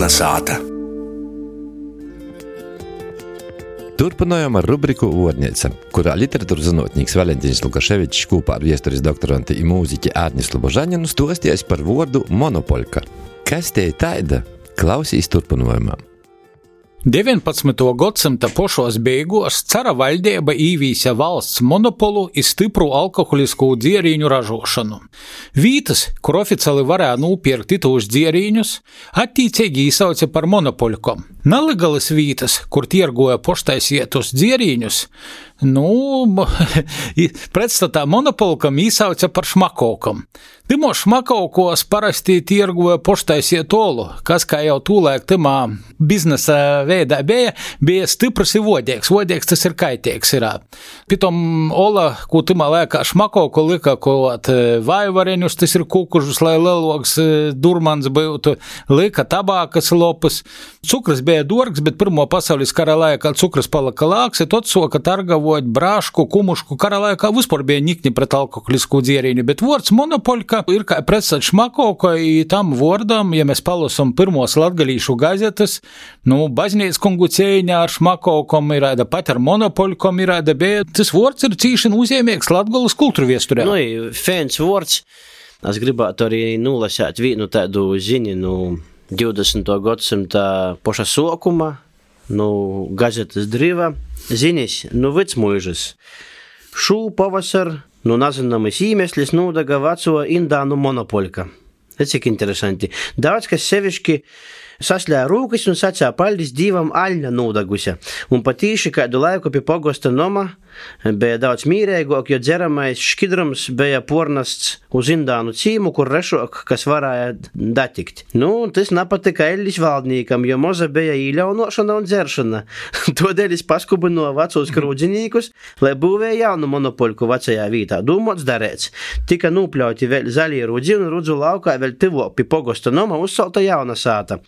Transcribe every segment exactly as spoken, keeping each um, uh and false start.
Jauna sāta. Turpinājām ar rubriku Vārneica, kurā literatūras zinātnieks Valentīns Lukaševičs kopā ar viesturis doktoranti i mūziķi Ārnis Lubožaņinu stostījās par vārdu monopolka. Kas te ir taida? Klausīs turpinājumā. deviņpadsmitā gadsimta pošos beigos cara valdība īvīsa valsts monopolu i stipru alkoholiskū dzierīņu ražošanu. Vītas, kur oficiāli varēja nūpierkt itūs dzierīņus, attīcīgi īsauca par monopolkom. Nelegalas vītas, kur tirgoja poštaisietus dzierīņus, nu, pretstatā monopolkam īsauca par šmakovkam. Timo šmakovkos parasti tirgoja poštaisietu olu, kas, kā jau tūlēk timā biznesa veidā bija, bija stiprs i vodīgs. Vodīgs tas ir kaitīgs irā. Pitom ola, ko timā lēkā šmakovku lika, kaut vaivareņus, tas ir kukužus, lai leloks durmans būtu, lika tabākas lopus. Cukras bija dorgs, bet pirmo pasaules kara laikā cukras palika lāks, i tot soka targavot brāšku, kumušku. Kara laikā vispār bija nikni pret alkoholisku dzierīņu, bet vārds monopolka ir kā pretsat šmakovka, i tam vārdam, ja mēs palasam pirmos latgalīšu gazetas, nu, baznīc kungu cēņā ar šmakovkom irāda, pat ar monopolkom irāda, bet tas vārds ir cīšana uzņēmīgs Latgolas kultūra viesturē. Nu, fēns vārds. Es gribētu arī nulasēt vienu tādu ziņu, nu, divdesmitā gadsimta poša sokuma, nu, gazetas driva, ziņas, nu, vicmuižas. Šū pavasar, nu, nazināmas īmeslis nūdaga vaco Indānu monopolka. Tas cik interesanti. Daudz, kas sevišķi sasļāja rūkas un sacīja paldies Dīvam Aļņa nūdagusi. Un patīši kādu laiku pie pogosta noma bija daudz mīreigok, jo dzeramais škidrums bija pornasts uz Indānu cīmu, kur rešok, kas varēja datikt. Nu, tas napatika Eļļis valdnīkam, jo moza bija īļaunošana un dzeršana. Todēļ es paskubino vecos krūdzinīkus, lai būvēja jaunu monopolku vecajā vītā. Dūmots darēts. Tika nūpļauti vēl zaļie rudzi un rudzu laukā vēl tivok pie pogosta noma uzsalta jauna sāta.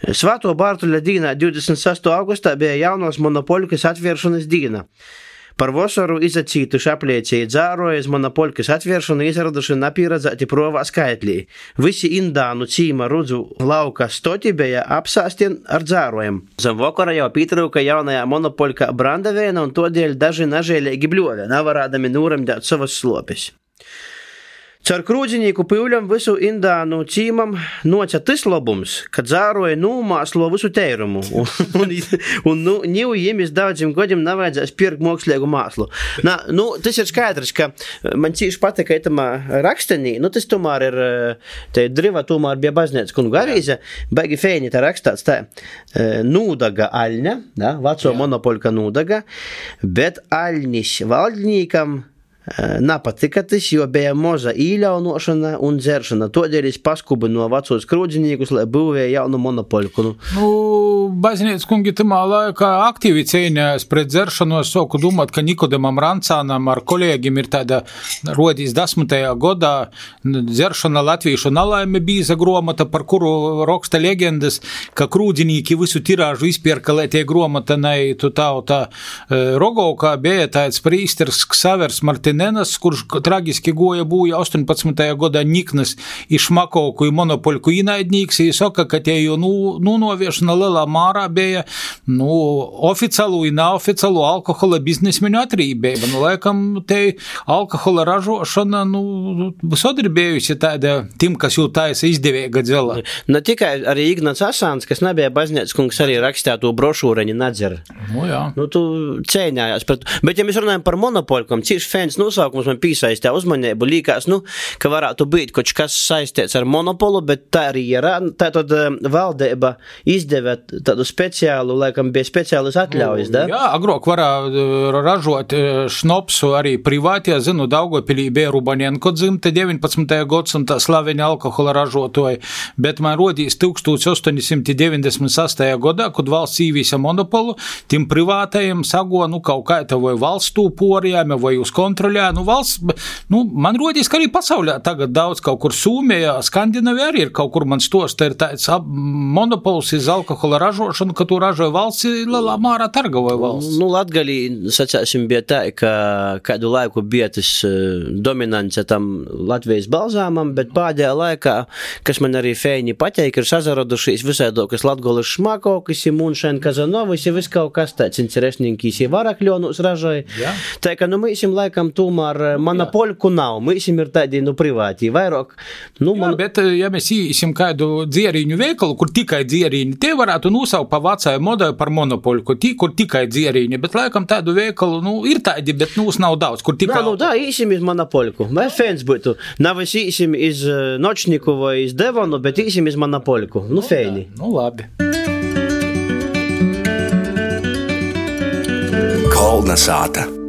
Svāto Bārtuļa dīnā divdesmit sastā augustā bija jaunos monopolkas atvēršanas dīna. Par vasaru izacītuši apliecēji dzāroja iz monopolkas atvēršanu izraduši napīradzēti provā skaitlī. Visi Indānu cīma rudzu lauka stoti bija apsāstien ar dzārojem. Zem vakara jau pītrauka jaunajā monopolka brandavēna un todēļ daži nažēlēgi bļovē, navarādami nūramdēt savas slopes. Caur krūdzinīku pīvļam visu Indānu cīmam noca tas labums, ka dzāroja nūmāslo visu teirumu. Un, un, un nu, niu jīmis daudzim godiem navajadzēs pirkt mokslīgu māslu. Na, nu, tas ir skaidrs, ka man cīši patika itamā rakstenī, nu, tas tomēr ir, te driva tomēr bija baznīca kungu avīze, baigi feini tā rakstāts tā, nūdaga Aļņa, da, vaco monopolka nūdaga, bet Aļņis valdnīkam napatika tas, jo bija moza īļaunošana un dzeršana. Todēļ es paskubinu vecos krūdzinīkus, lai būvēja jaunu monopolku. Nu, baznīca kungi tamā laikā aktīvi cīnījās pret dzeršanu. Es soku domāt, ka Nikodemam Rancānam ar kolēģim ir tāda rodīs desmitajā godā dzeršana latvīšu nalaime bīza gromata, par kuru raksta legendas, ka krūdzinīki visu tirāžu izpierka, lai tie gromata neitu tauta Rogovkā bija tāds prīsters Ksavers Martin Nenas, kurš tragiski goja būja astoņpadsmitajā godā niknas i šmakovku i monopolku inaidnīgs, i soka, ka tie jau nu, nu noviešana lielā mārā bija, nu, oficiālu i neoficiālu alkohola biznesmeņu atrībība. Nu, laikam, te alkohola ražošana, nu, visod ir bijusi tāda tim, kas jau taisa izdevīga dzela. Ne tikai arī Ignats Asāns, kas nebija baznīcas kungs, arī rakstētu brošūreņi nedzer. Nu, jā. Nu, tu cēņājās pret... Bet, ja mēs runājam par monopolkom, cīši fēns nosaukums man pīsaistē uzmanību, līkās, nu, ka varētu būt kaut kas saistīts ar monopolu, bet tā arī ir. Tā tad valdība izdevē tādu speciālu, laikam bija speciālis atļaujas, da? Jā, agrāk varā ražot šnopsu arī privātie, zinu, Daugavpilī bija Rubanenko dzimte, deviņpadsmitajā gadsimtā slaveņa alkohola ražotoji, bet man rodīs tūkstoš astoņi simti deviņdesmit sastajā gadā, kad valsts īvīsa monopolu, tim privātajiem sago, nu, kaut kā tā vai valstū porijām, vai uz kontroli monopolijā, nu valsts, nu, man rodīs, ka arī pasaulē tagad daudz kaut kur Sūmijā, Skandinavijā arī ir kaut kur man stosta, ir tāds monopols iz alkohola ražošanu, ka tu ražoja valsts, lielā mārā targoja valsts. Nu, Latgalī, sacāsim, bija tā, ka kādu laiku bija tas dominance tam Latvijas balzāmam, bet pēdējā laikā, kas man arī feini pateik, ir sazaradušies visādokas Latgolas šmakokas, Munšēn Kazanovas, ja vis kaut kas tāds interesninkīs, ja varakļonus ražoja. Jā. Tā, ka, nu, mēs jums laikam tomēr monopoliku nav, mēs jums ir tādi, nu, privāti, vairāk. Nu, Jā, man... bet, ja mēs īsim kādu dzierīņu veikalu, kur tikai dzierīņi, tie varētu nosaukt pa vecāju modelu par monopoliku, tī, kur tikai dzierīņi, bet laikam tādu veikalu, nu, ir tādi, bet nūs nav daudz, kur tikai... Da, nu, da, īsim iz monopoliku. Vai fēns būtu? Nav es īsim iz Nočniku vai iz Devonu, bet īsim iz monopoliku. Nu, fēni. Nu, labi. Kolna sāta.